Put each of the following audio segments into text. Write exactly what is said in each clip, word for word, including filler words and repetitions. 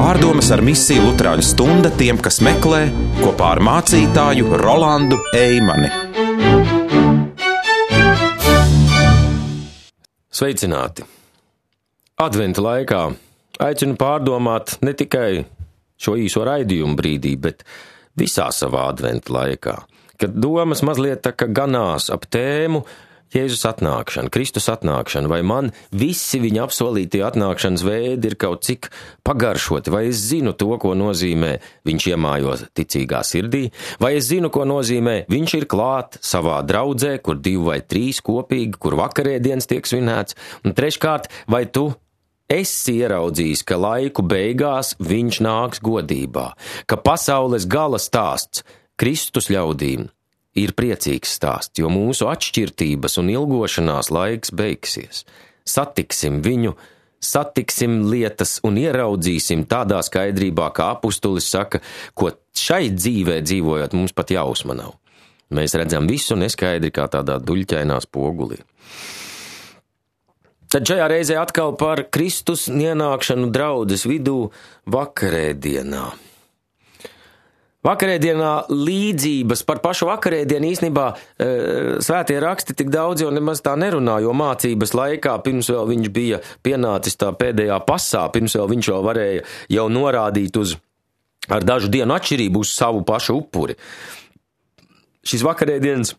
Pārdomas ar misiju Luterāņu stunda tiem, kas meklē, kopā ar mācītāju Rolandu Eimani. Sveicināti! Adventa laikā aicinu pārdomāt ne tikai šo īso raidījumu brīdī, bet visā savā adventa laikā, kad domas mazliet tā kā ganās ap tēmu Jēzus atnākšana, Kristus atnākšana, vai man visi viņa apsolītie atnākšanas veidi ir kaut cik pagaršoti, vai es zinu to, ko nozīmē viņš iemājo ticīgā sirdī, vai es zinu, ko nozīmē viņš ir klāt savā draudzē, kur divi vai trīs kopīgi, kur vakarēdienas tiek svinēts, un treškārt, vai tu esi ieraudzījis, ka laiku beigās viņš nāks godībā, ka pasaules gala stāsts Kristus ļaudīm ir priecīgs stāsts, jo mūsu atšķirtības un ilgošanās laiks beigsies. Satiksim viņu, satiksim lietas un ieraudzīsim tādā skaidrībā, kā apustulis saka, ko šai dzīvē dzīvojot mums pat jausma nav. Mēs redzam visu neskaidri kā tādā duļķainā spogulī. Tad šajā reizē atkal par Kristus ienākšanu draudzes vidū vakarēdienā. Vakarēdienā līdzības par pašu vakarēdienu īstenībā e, svētie raksti tik daudz jau nemaz tā nerunā, jo mācības laikā, pirms vēl viņš bija pienācis tā pēdējā pasā, pirms vēl viņš vēl varēja jau norādīt uz ar dažu dienu atšķirību uz savu pašu upuri. Šis vakarēdienas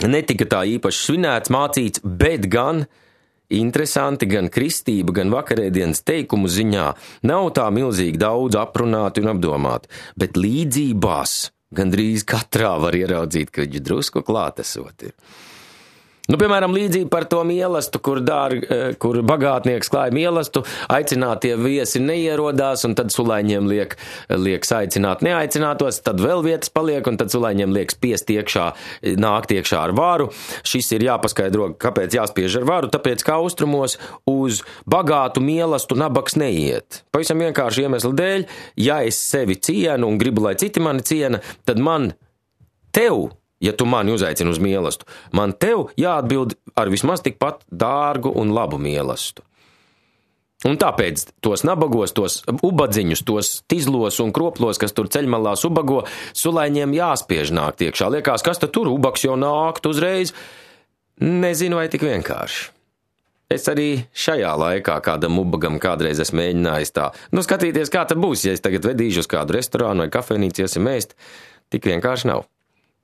netika tā īpaši svinēts, mācīts, bet gan interesanti, gan kristība, gan vakarēdienas teikumu ziņā nav tā milzīgi daudz aprunāti un apdomāti, bet līdzībās gandrīz katrā var ieraudzīt, ka viņš drusku klātesot ir. Nu, piemēram, līdzība par to mielastu, kur, dār, kur bagātnieks klāja mielastu, aicinātie viesi neierodās, un tad sulaiņiem liek, liekas aicināt neaicinātos, tad vēl vietas paliek, un tad sulaiņiem liekas spiest iekšā, nākt iekšā ar varu. Šis ir jāpaskaidro, kāpēc jāspiež ar varu, tāpēc kā austrumos uz bagātu mielastu nabaks neiet. Pavisam vienkārši iemeslu dēļ, ja es sevi cienu un gribu, lai citi mani ciena, tad man tev, ja tu mani uzaicini uz mielastu, man tev jāatbild ar vismaz tikpat dārgu un labu mielastu. Un tāpēc tos nabagos, tos ubadziņus, tos tizlos un kroplos, kas tur ceļmalās ubago, sulaiņiem jāspiež nākt iekšā. Liekas, kas tad tur ubaks jau nākt uzreiz? Nezinu, vai tik vienkārši. Es arī šajā laikā kādam ubagam kādreiz esmu mēģinājis tā. Nu, skatīties, kā tad būs, ja es tagad vedīšu uz kādu restorānu vai kafejnīcu, iesim ēst. Tik vienkārši nav.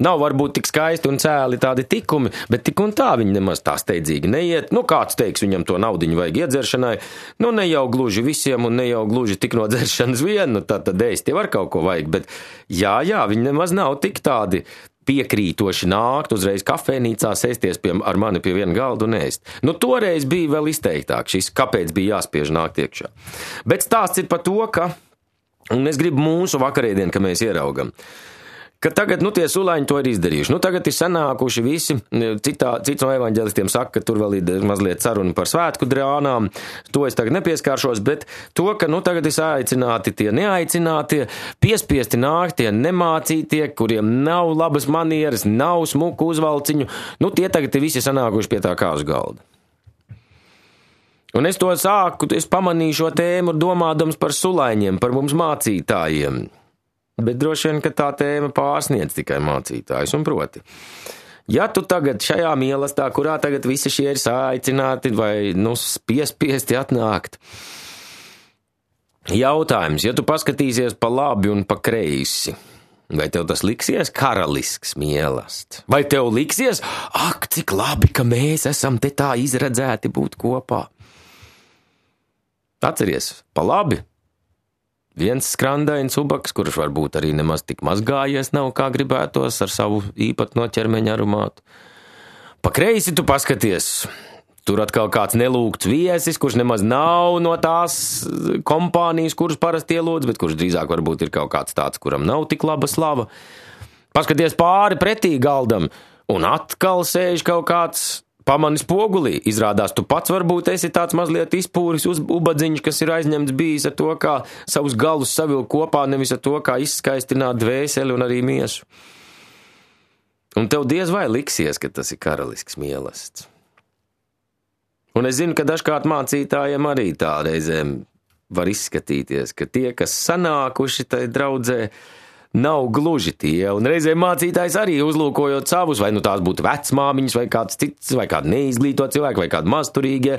Nav varbūt tik skaisti un cēli tādi tikumi, bet tik un tā viņi nemaz tā steidzīgi neiet. Nu, kāds teiks, viņam to naudiņu vajag iedzeršanai. Nu, ne jau gluži visiem un ne jau gluži tik no dzeršanas vien, nu, tad, tad ēst jau ar kaut ko vajag. Bet jā, jā, viņi nemaz nav tik tādi piekrītoši nākt uzreiz kafejnīcā, sēsties pie, ar mani pie viena galda un ēst. Nu, toreiz bija vēl izteiktāk šis, kāpēc bija jāspiež nākt iekšā. Bet stāsts ir par to, ka, un es gribu mūsu vakarēdienu, ka mēs ieraugam, ka tagad, nu, tie sulaiņi to ir izdarījuši. Nu, tagad ir sanākuši visi, citā, cits no evaņģelistiem saka, ka tur vēl ir mazliet saruna par svētku drānām, to es tagad nepieskāršos, bet to, ka, nu, tagad ir aicināti tie neaicinātie, piespiesti nākt tie nemācītie, kuriem nav labas manieres, nav smuku uzvalciņu, nu, tie tagad ir visi sanākuši pie tā kāzu galda. Un es to sāku, es pamanīju šo tēmu domādams par sulaiņiem, par mums mācītājiem. Bet droši vien, ka tā tēma pārsniedz tikai mācītājus, un proti. Ja tu tagad šajā mielastā, kurā tagad visi šie ir sāicināti vai, nu, piespiesti atnākt, jautājums, ja tu paskatīsies pa labi un pa kreisi, vai tev tas liksies karalisks mielasts? Vai tev liksies, ak, cik labi, ka mēs esam te tā izredzēti būt kopā? Atceries, pa labi. Viens skrandains ubaks, kurš varbūt arī nemaz tik mazgājies nav, kā gribētos ar savu īpatno ķermeņa aromātu. Pa kreisi tu paskaties, tur atkal kāds nelūgts viesis, kurš nemaz nav no tās kompānijas, kuras parasti ielūdz, bet kurš drīzāk varbūt ir kaut kāds tāds, kuram nav tik laba slava. Paskaties pāri pretī galdam, un atkal sēž kaut kāds pamani spogulī. Izrādās, tu pats varbūt esi tāds mazliet izpūris uz ubadziņš, kas ir aizņemts bijis ar to, kā savus galus savilkt kopā, nevis ar to, kā izskaistināt dvēseli un arī miesu. Un tev diez vai liksies, ka tas ir karalisks mielasts. Un es zinu, ka dažkārt mācītājiem arī tā reizēm var izskatīties, ka tie, kas sanākuši tai draudzē, nav gluži tie, un reizē mācītājs arī uzlūkojot savus, vai nu tās būtu vecmāmiņas, vai kāds cits, vai kādi neizglītot cilvēki, vai kādi mazturīgie,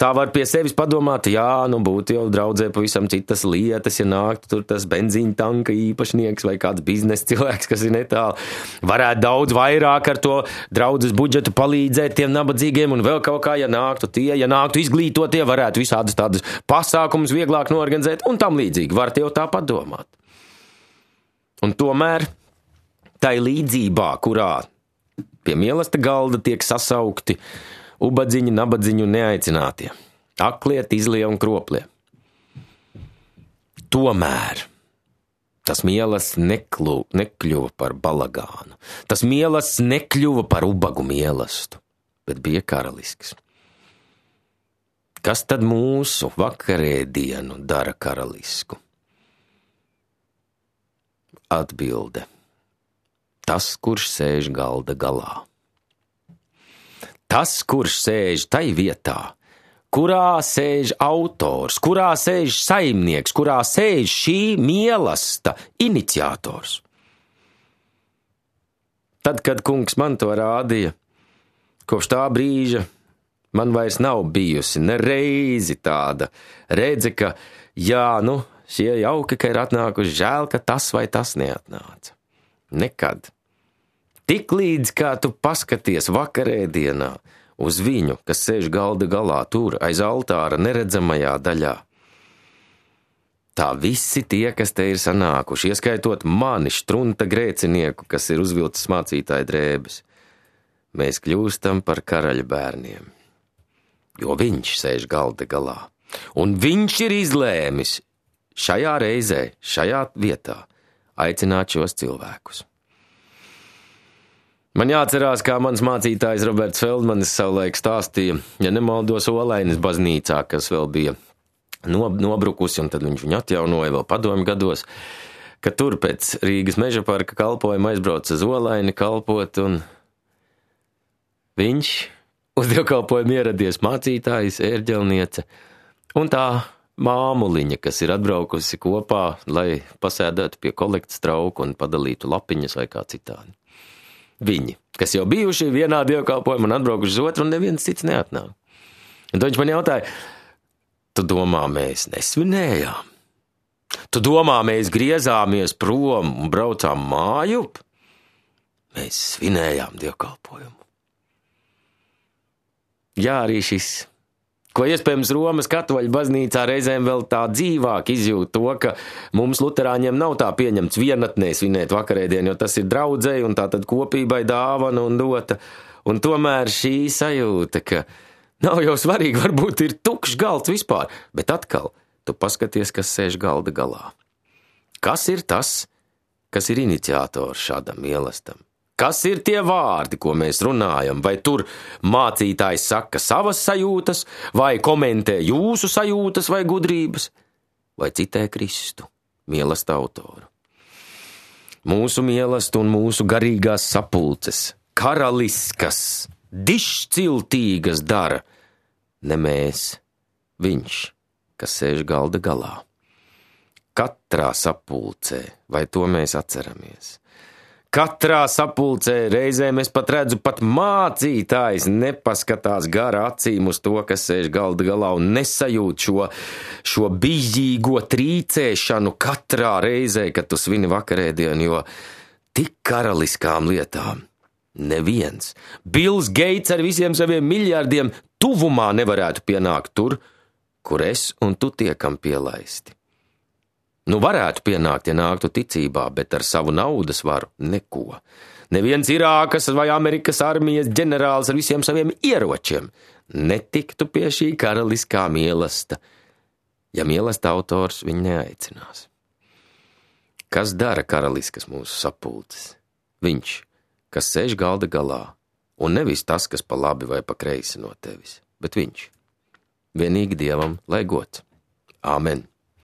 tā var pie sevis padomāt, jā, nu būtu jau draudzē pavisam citas lietas, ja nāktu tur tas benzīņa tanka īpašnieks vai kāds biznesa cilvēks, kas ir netālu. Varētu daudz vairāk ar to draudzes budžetu palīdzēt tiem nabadzīgiem un vēl kaut kā, ja nāktu tie, ja nāktu izglītotie, varētu visādas tādas pasākumus vieglāk norganizēt un tam līdzīgi. Varat jau tā padomāt. Un tomēr tai līdzībā, kurā pie mīlesta galda tiek sasaukti ubadziņi, nabadziņi un neaicinātie, aklie, izlie un kroplie. Tomēr tas mielas neklu, nekļuva par balagānu. Tas mielas nekļuva par ubagu mielastu, bet bija karalisks. Kas tad mūsu vakarēdienu dara karalisku? Atbilde. Tas, kurš sēž galda galā. Tas, kurš sēž tai vietā, kurā sēž autors, kurā sēž saimnieks, kurā sēž šī mīlesta iniciators. Tad, kad kungs man to rādīja, kopš tā brīža man vairs nav bijusi ne reizi tāda redze, ka jā, nu, šie jauki, ka ir atnākuši, žēl, ka tas vai tas neatnāca. Nekad. Tik līdz, kā tu paskaties vakarēdienā uz viņu, kas sēž galda galā tur, aiz altāra neredzamajā daļā. Tā visi tie, kas te ir sanākuši, ieskaitot mani štrunta grēcinieku, kas ir uzvilcis mācītāja drēbes, mēs kļūstam par karaļa bērniem, jo viņš sēž galda galā. Un viņš ir izlēmis šajā reizē, šajā vietā aicināt šos cilvēkus. Man jāatcerās, kā mans mācītājs Roberts Feldmanis savulaik stāstīja, ja nemaldos Olainas baznīcā, kas vēl bija nobrukusi, un tad viņš viņu atjaunoja vēl padomju gados, ka tur pēc Rīgas meža parka kalpojuma aizbrauca uz Olaini kalpot, un viņš uz dievkalpojumu ieradies mācītājs, ērģelniece, un tā māmuliņa, kas ir atbraukusi kopā, lai pasēdētu pie kolektas trauku un padalītu lapiņas vai kā citādi. Viņi, kas jau bijuši vienā dievkalpojumā un atbraukuši uz otru, un neviens cits neatnāk. Un tad viņš man jautāja, tu domā, mēs nesvinējām? Tu domā, mēs griezāmies prom un braucām mājup? Mēs svinējām dievkalpojumu. Jā, arī šis, ko iespējams Romas katoļu baznīcā reizēm vēl tā dzīvāk izjūt to, ka mums luterāņiem nav tā pieņemts vienatnē svinēt vakarēdienu, jo tas ir draudzei un tā tad kopībai dāvana un dota. Un tomēr šī sajūta, ka nav jau svarīgi, varbūt ir tukšs galds vispār, bet atkal tu paskaties, kas sēž galda galā. Kas ir tas, kas ir iniciators šādam mīlestam? Kas ir tie vārdi, ko mēs runājam? Vai tur mācītājs saka savas sajūtas, vai komentē jūsu sajūtas vai gudrības, vai citē Kristu, mīlesta autoru? Mūsu mīlesta un mūsu garīgās sapulces, karaliskas, dišciltīgas dara ne mēs, viņš, kas sēž galda galā. Katrā sapulcē, vai to mēs atceramies? Katrā sapulcē reizēm es pat redzu, pat mācītājs nepaskatās gara acīm uz to, kas sēž galda galā un nesajūt šo, šo bijīgo trīcēšanu katrā reizē, kad tu svini vakarēdienu, jo tik karaliskām lietām neviens. Bills Gates ar visiem saviem miljardiem tuvumā nevarētu pienākt tur, kur es un tu tiekam pielaisti. Nu, varētu pienākt, ja nāktu ticībā, bet ar savu naudas varu neko. Neviens Irākas vai Amerikas armijas ģenerālis ar visiem saviem ieročiem netiktu pie šī karaliskā mīlesta, ja mīlesta autors viņu neaicinās. Kas dara karaliskas mūsu sapulces? Viņš, kas sēž galda galā, un nevis tas, kas pa labi vai pa kreisi no tevis, bet viņš. Vienīgi Dievam lai gods. Āmen.